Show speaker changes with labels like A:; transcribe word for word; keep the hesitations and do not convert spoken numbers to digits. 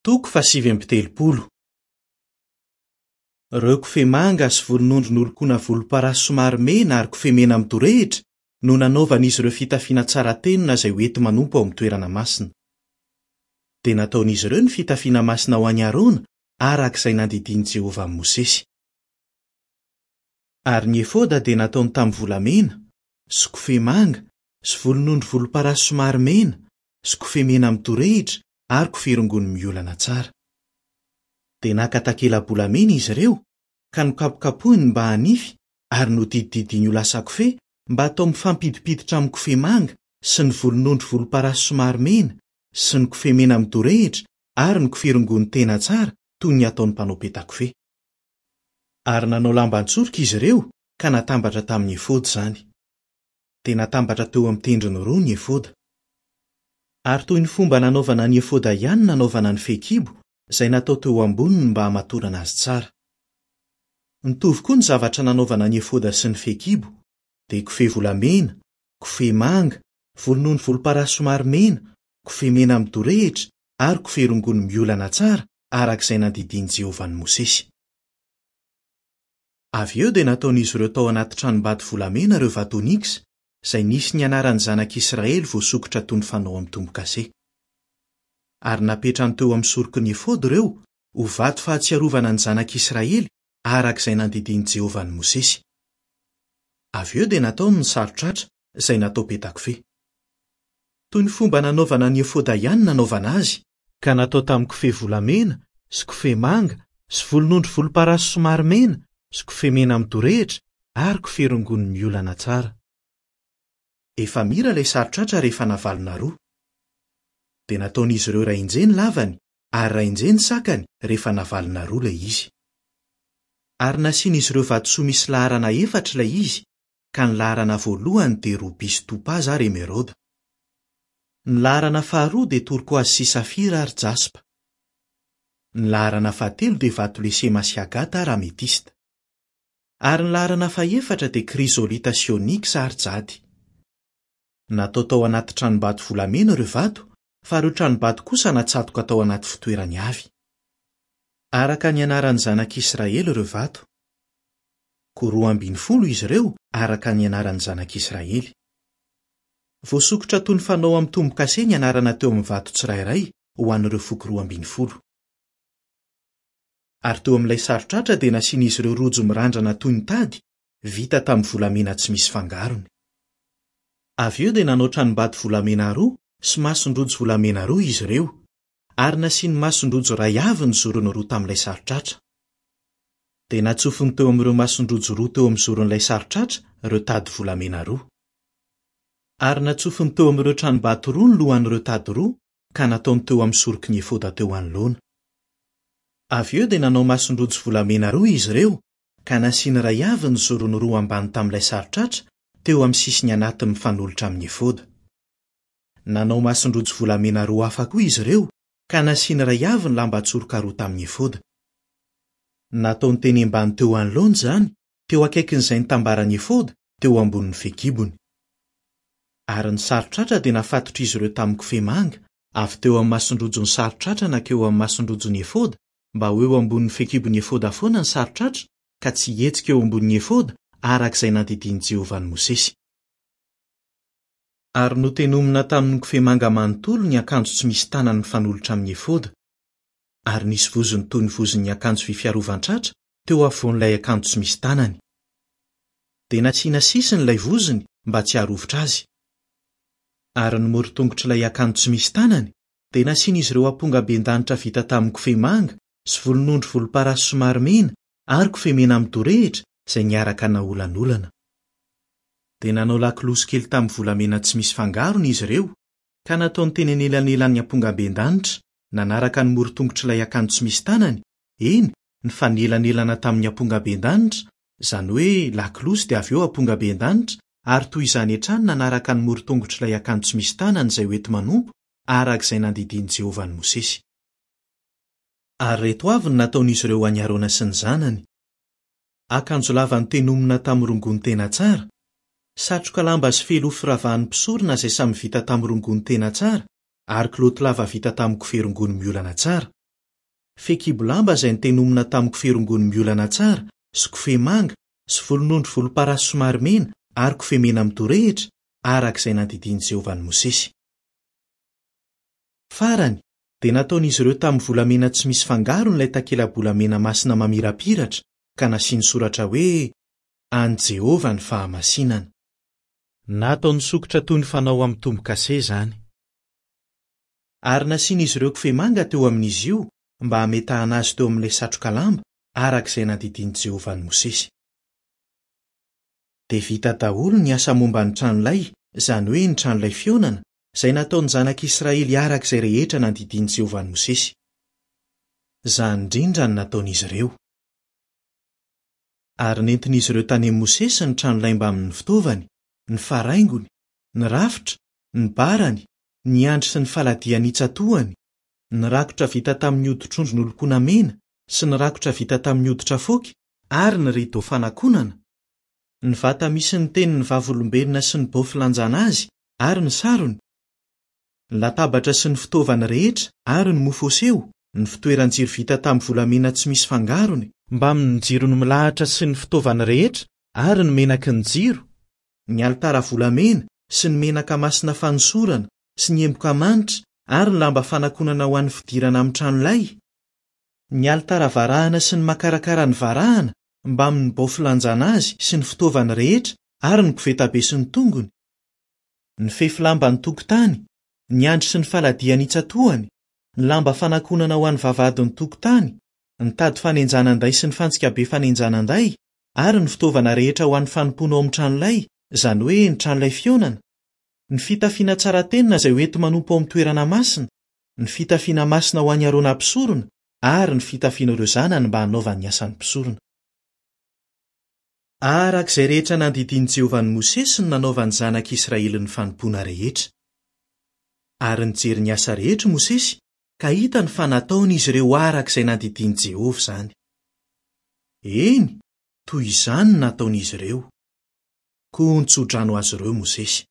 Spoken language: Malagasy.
A: Toko fahasivy amby telopolo. Ireo kofehy manga sy volonondry nolokoana volomparasy somary mena ary kofehy mena midorehitra no nanaovan'izy ireo fitafiana tsara tenona izay hoenti-manompo ao amin'ny toerana masina. Dia nataon'izy ireo ny fitafiana masina ho an'i Arona araka izay nandidian'i Jehovah an'i Mosesy. Ary ny efoda dia nataony tamin'ny volamena, sy kofehy manga, sy volonondry volomparasy somary mena, sy kofehy mena midorehitra ary kofehy rongony miolana tsara. Dia naka takela-bolamena izy ireo, ka nokapokapohiny mba hanify ary nodidididiny ho lasa kofehy mba hatao mifampidipiditra amin'ny kofehy manga sy ny volonondry volomparasy somary mena sy ny kofehy mena midorehitra ary ny kofehy rongony tena tsara toy ny ataon'ny mpanao peta-kofehy. Ary nanao lamban-tsoroka izy ireo ka natambatra tamin'ny efoda izany. Dia natambatra teo amin'ny tendrony roa ny efoda. Ary toy ny fomba nanaovana ny efoda ihany nanaovana ny fehikibo izay natao teo amboniny mba hamatorana azy tsara. Nitovy koa ny zavatra nanaovana ny efoda sy ny fehikibo, dia kofehy volamena, kofehy manga, volonondry volomparasy somary mena, kofehy mena midorehitra ary kofehy rongony miolana tsara araka izay nandidian'i Jehovah an'i Mosesy. Avy eo dia nataon'izy ireo tao anaty tranombato volamena ireo vato onyx izay nisy ny anaran'ny zanak'Israely voasokitra toy ny fanao amin'ny tombo-kase. Ary napetrany teo amin'ny soroky ny efoda ireo ho vato fahatsiarovana ny zanak'Israely araka izay nandidian'i Jehovah an'i Mosesy. Avy eo dia nataony ny saron-tratra izay natao peta-kofehy. Toy ny fomba nanaovana ny efoda ihany nanaovana azy, ka natao tamin'ny kofehy volamena sy kofehy manga sy volonondry volomparasy somary mena sy kofehy mena midorehitra ary kofehy rongony miolana tsara. Efa mira ilay saron-tratra rehefa navalona roa. Dia nataon'izy ireo iray injehy ny lavany ary iray injehy ny sakany rehefa navalona roa ilay izy. Ary nasian'izy ireo vatosoa misy laharana efatra ilay izy, ka ny laharana voalohany dia robia sy topaza ary emeraude. Ny laharana faharoa dia turquoise sy safira ary jaspa. Ny laharana fahatelo dia vato lesema sy agata ary ametista. Ary ny laharana fahefatra dia krizolita sy onyx ary jady. Natao tao anaty tranombato volamena ireo vato, fa ireo tranombato kosa natsatoka tao anaty fitoerany avy. Araka ny anaran'ny zanak'Israely ireo vato. Koa roa ambin'ny folo izy ireo araka ny anaran'ny zanak'Israely. Voasokitra toy ny fanao amin'ny tombo-kase ny anarana teo amin'ny vato tsirairay ho an'ireo foko roa ambin'ny folo. Ary teo amin'ilay saron-tratra dia nasian'izy ireo rojo mirandrana toy ny tady vita tamin'ny volamena tsy misy fangarony. Avy eo dia nanao tranombato volamena roa sy mason-drojo volamena roa izy ireo, ary nasiany mason-drojo iray avy ny zorony roa tamin'ilay saron-tratra. Dia natsofony teo amin'ireo mason-drojo roa teo amin'ny zoron'ilay saron-tratra ireo tady volamena roa. Ary natsofony teo amin'ireo tranombato roa ny lohan'ireo tady roa ka nataony teo amin'ny soroky ny efoda teo anoloana. Avy eo dia nanao mason-drojo volamena roa izy ireo ka nasiany iray avy ny zorony roa ambany tamin'ilay saron-tratra teo amin'ny sisiny anatiny mifanolotra amin'ny efoda. Nanao mason-drojo volamena roa hafa koa izy ireo ka nasiany iray avy ny lamban-tsoroka roa tamin'ny efoda. Nataony teny ambany teo anoloana izany, teo akaikin'izay nitambaran'ny efoda, teo ambonin'ny fehikibony. Ary ny saron-tratra dia nafatotr'izy ireo tamin'ny kofehy manga, avy teo amin'ny mason-drojon'ny saron-tratra nankeo amin'ny mason-drojon'ny efoda, mba ho eo ambonin'ny fehikibon'ny efoda foana ny saron-tratra ka tsy hihetsika eo ambonin'ny efoda araka izay nandidian'i Jehovah an'i Mosesy. Ary notenomina tamin'ny kofehy manga manontolo ny akanjo tsy misy tanany mifanolotra amin'ny efoda. Ary nisy vozony toy ny vozon'ny akanjo vy fiarovan-tratra teo afovoan'ilay akanjo tsy misy tanany. Dia nasiana sisiny ilay vozony mba tsy haharovitra azy. Ary ny morotongotr'ilay akanjo tsy misy tanany dia nasian'izy ireo ampongaben-danitra vita tamin'ny kofehy manga sy volonondry volomparasy somary mena ary kofehy mena midorehitra izay niaraka naolanolana. Dia nanao lakolosy kely tamin'ny volamena tsy misy fangarony izy ireo ka nataony teny anelanelan'ny ampongaben-danitra nanaraka ny morotongotr'ilay akanjo tsy misy tanany, eny, nifanelanelana tamin'ny ampongaben-danitra, izany hoe lakolosy dia avy eo ampongaben-danitra, ary toy izany hatrany nanaraka ny morotongotr'ilay akanjo tsy misy tanany izay hoenti-manompo araka izay nandidian'i Jehovah an'i Mosesy. Ary ireto avy no nataon'izy ireo ho an'i Arona sy ny zanany. Akanjo lava notenomina tamin'ny rongony tena tsara, satroka lamba sy fehiloha firavahan'ny mpisorona izay samy vita tamin'ny rongony tena tsara ary kilaoty lava vita tamin'ny kofehy rongony miolana tsara, Fehikibo lamba izay notenomina tamin'ny kofehy rongony miolana tsara sy kofehy manga sy volonondry volomparasy somary mena ary kofehy mena mitorehitra, araka izay nandidian'i Jehovah an'i Mosesy. Farany, dia nataon'izy ireo tamin'ny volamena tsy misy fangarony ilay takela-bolamena masina mamirapiratra ka nasiany soratra hoe an'i Jehovah ny fahamasinana. Nataony sokitra toy ny fanao amin'ny tombo-kase izany. Ary nasian'izy ireo kofehy manga teo amin'izy io mba hametahana azy teo amin'ilay satroka lamba araka izay nandidian'i Jehovah an'i Mosesy. Dia vita daholo ny asa momba ny tranolay, izany hoe ny tranolay fihaonana, izay nataon'ny zanak'Israely araka izay rehetra nandidian'i Jehovah an'i Mosesy. Izany indrindra no nataon'izy ireo. Ary nentin'izy ireo tany amin'i Mosesy ny tranolay mbamin'ny fitaovany, ny faraingony, ny rafitra, ny barany, ny andry sy ny faladiany itsatohany, ny rakotra vita tamin'ny hoditr'ondry nolokoana mena sy ny rakotra vita tamin'ny hoditra foky ary ny rideau fanakonana, ny vata misy ny tenin'ny vavolombelona sy ny bao filanjana azy ary ny sarony, ny latabatra sy ny fitaovany rehetra ary ny mofo aseho, ny fitoeran-jiro vita tamin'ny volamena tsy misy fangarony, mbamin'ny jirony milahatra sy ny fitaovany rehetra ary ny menaky ny jiro, ny alitara volamena sy ny menaka masina fanosorana sy ny emboka manitra ary ny lamba fanakonana ho an'ny fidirana amin'ny tranolay, ny alitara varahana sy ny makarakara ny varahana mbamin'ny bao filanjana azy sy ny fitaovany rehetra ary ny kovetabe sy ny tongony, ny fefy lamba ny tokotany, ny andry sy ny faladiany itsatohany, ny lamba fanakonana ho an'ny vavahadin'ny tokotany, ny tady fanenjanan-day sy ny fantsika be fanenjanan-day ary ny fitaovana rehetra ho an'ny fanompoana ao amin'ny tranolay, izany hoe ny tranolay fihaonana, ny fitafiana tsara tenona izay hoenti-manompo ao amin'ny toerana masina, ny fitafiana masina ho an'i Arona mpisorona ary ny fitafiana ireo zanany mba hanaovany ny asan'ny mpisorona. Araka izay rehetra nandidian'i Jehovah an'i Mosesy no nanaovan'ny zanak'Israely ny fanompoana rehetra. Ary nijery ny asa rehetra Mosesy ka hitany fa nataon'izy ireo araka izay nandidian'i Jehovah izany. Eny, toy izany no nataon'izy ireo. Koa nitsodrano azy ireo Mosesy.